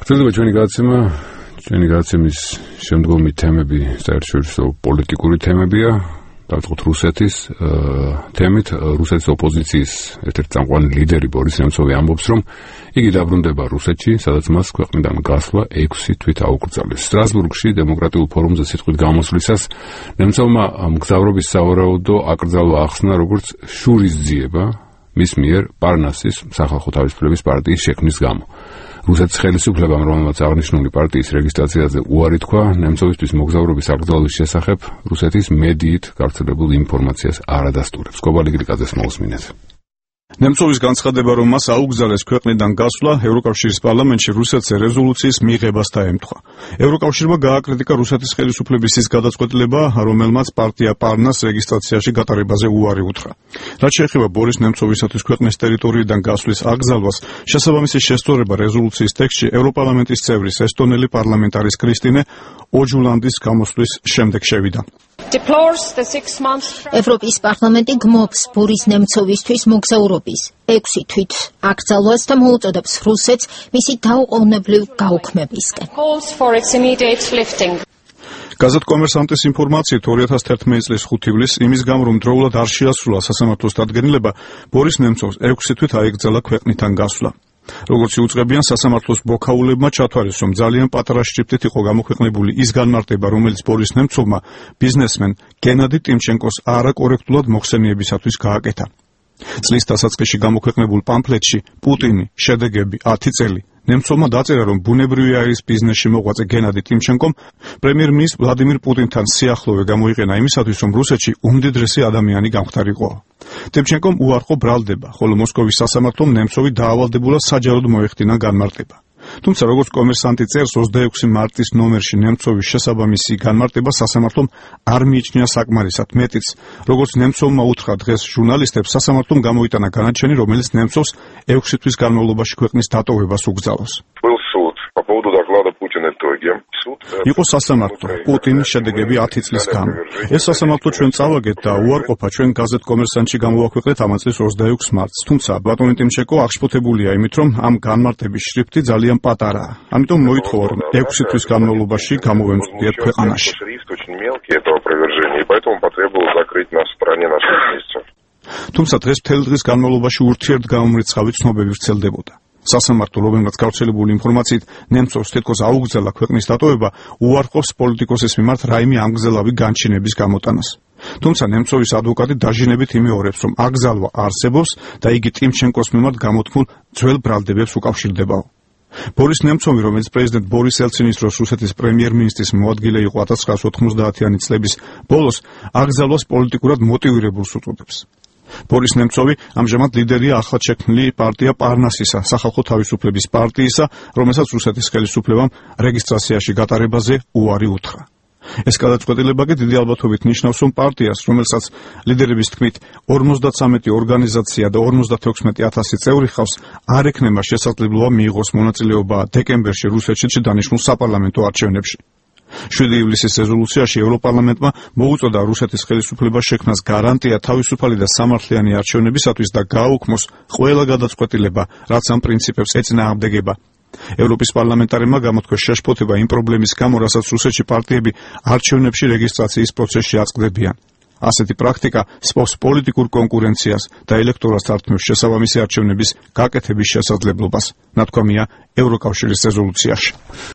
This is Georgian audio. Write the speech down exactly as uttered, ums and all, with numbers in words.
გრძელდება ჩვენი გადაცემა, ჩვენი გადაცემის შემდგომი თემები საერთაშორისო პოლიტიკური თემებია, დავიწყოთ რუსეთის თემით. რუსეთის ოპოზიციის ერთ-ერთი წამყვანი ლიდერი ბორის ნემცოვი ამბობს, რომ იგი დაბრუნდება რუსეთში, სადაც მას ქვეყნიდან გასვლა ექვსი თვით აუკრძალეს. სტრასბურგში დემოკრატიულ ფორუმზე სიტყვით გამოსვლისას ნემცოვმა მგზავრობის სავარაუდო აკრძალვა ახსნა, როგორც შურისძიება მის მიერ პარნასის სახალხო თავისუფლების პარტიის შექმნის გამო. რუსეთის ხელისუფლებამ, რომელმაც აღნიშნული პარტიის რეგისტრაციაზე უარი თქვა, ნემცოვისთვის მოგზაურობის აკრძალვის შესახებ რუსეთის მედიით გავრცელებულ ინფორმაციას არ ადასტურებს. კობალი გრიკაძეს მოусმინეთ. ნემცოვის განცხადება, რომ მას აუგზავნეს ქვეყნიდან გასვლა, ევროკავშირის პარლამენტში რუსეთზე რეზოლუციის მიღებას დაემთხვა. ევროკავშირმა გააკრიტიკა რუსეთის ხელისუფლების ის გადაწყვეტილება, რომელმაც პარტია პარნას რეგისტრაციაში გატარებაზე უარი უთხრა. რაც შეეხება ბორის ნემცოვისათვის ქვეყნის ტერიტორიიდან გასვლის აკრძალვას, შესაბამისი შესწორება რეზოლუციის ტექსტში ევროპარლამენტის წევრის ესტონელი პარლამენტარის კრისტინე ოჯულანდის გამოსვლის შემდეგ შევიდა. ევროპის პარლამენტი გმობს ბორის ნემცოვისთვის მოგზაურობის ექვსი თვით აკრძალვას და მოუწოდებს რუსეთს მისი დაუყოვნებლივ გაუქმებისკენ. გაზეთ კომერსანტის ინფორმაციით ორი ათას თერთმეტი წლის ხუთი ივლისს იმის გამო, რომ დროულად არ შეასრულა სასამართლოს დადგენილება, ბორის ნემცოვს ექვსი თვით აეკრძალა ქვეყნიდან გასვლა. როგორც იუწყებიან, სასამართლოს ბოქაულებმა ჩათვალეს, რომ ძალიან პატარა შრიფტით იყო გამოქვეყნებული ის განმარტება, რომელიც ბორის ნემცოვმა ბიზნესმენ გენადი ტიმჩენკოს არაკორექტულად მოხსენიებისათვის გააკეთა. წლის დასაწყისში გამოქვეყნებულ პამფლეტში პუტინი, შედეგები, ათი წელი. ნემცოვმა დაწერა, რომ ბუნებრივი არის ბიზნესში მოღვაწე გენადი ტიმჩენკომ პრემიერ-მინისტრ ვლადიმირ პუტინთან სიახლოვე გამოიყენა იმისათვის, რომ რუსეთში უმდიდრესი ადამიანი გამხდარიყო. ტიმჩენკომ უარყო ბრალდება, ხოლო მოსკოვის სასამართლომ ნემცოვი დაავალდებულად საჯაროდ მოეხდინა განმარტება. თუმცა, როგორც კომერსანტი წერს, ოცდაექვსი მარტის ნომერში ნემცოვის შესაბამისი განმარტება სასამართლომ არ მიიჩნია საკმარისად. მეტიც, როგორც ნემცოვმა უთხრა დღეს ჟურნალისტებს, სასამართლომ გამოიტანა განაჩენი, რომელიც ნემცოვს ექვსი თვის განმავლობაში ქვეყნის დატოვებას უგზავნოს. იყო სასამართლო, პუტინის შედეგები ათი წლის გამო. ეს სასამართლო ჩვენ წავაგეთ და უარყოფა ჩვენ გაზეთ კომერსანტში გამოვაქვეყნეთ ამ წლის ოცდაექვსი მარტს. თუმცა ბატონი ტიმჩენკო აღშფოთებულია იმით, რომ ამ განმარტების შრიფტი ძალიან პატარაა. ამიტომ მოითხოვა, რომ ექვსი თვის განმავლობაში გამოვემწვდიეთ ქვეყანაში. თუმცა დღეს მთელი დღის განმავლობაში ურთიერთგამომრიცხავი ცნობები ვრცელდებოდა. სასამართლო, რომელმაც გავრცელებული ინფორმაციით ნემცოვს თითქოს აუგზავნილა ქვეყნის დატოვება, უარყოფს პოლიტიკოსის მიმართ რაიმე ამგზელავი განჩინების გამოტანას. თუმცა ნემცოვის ადვოკატი დაჟინებით იმეორებს, რომ აკრძალვა არსებობს და იგი ტიმჩენკოს მიმართ გამოთქმულ ძველ ბრალდებებს უკავშირდებაო. ბორის ნემცოვი, რომელიც პრეზიდენტ ბორის ელცინის დროს რუსეთის პრემიერ-მინისტრის მოადგილე იყო ათას ცხრაასი ოთხმოცდაათიანი წლების ბოლოს, აკრძალვას პოლიტიკურად მოტივირებულს უწოდებს. ბორის ნემცოვი ამჟამად ლიდერია ახლად შექმნილი პარტია პარნასისა, სახალხო თავისუფლების პარტიისა, რომელსაც რუსეთის ხელისუფლებამ რეგისტრაციაში გატარებაზე უარი უთხრა. ეს გადაწყვეტილება კი დიდი ალბათობით ნიშნავს, რომ პარტიას, რომელსაც ლიდერების თქმით ორმოცდათვრამეტი ორგანიზაცია და ორმოცდათექვსმეტი ათასი წევრი ჰყავს, არ ექნება შესაძლებლობა მიიღოს მონაწილეობა დეკემბერში რუსეთში დანიშნულ საპარლამენტო არჩევნებში. შვიდი ივლისის რეზოლუციაში ევროპარლამენტმა მოუწოდა რუსეთის ხელისუფლებას შექმნას გარანტია თავისუფალი და სამართლიანი არჩევნებისათვის და გააუქმოს ყველა გადაწყვეტილება, რაც ამ პრინციპებს ეწინააღმდეგება. ევროპის პარლამენტარებმა გამოთქვეს შეშფოთება იმ პრობლემის გამო, რასაც რუსეთში პარტიები არჩევნებში რეგისტრაციის პროცესში აწყდებიან. ასეთი პრაქტიკა სპობს პოლიტიკურ კონკურენციას და ელექტორატს ართმევს შესაბამისი არჩევნების გაკეთების შესაძლებლობას, ნათქვამია ევროკავშირის რეზოლუციაში.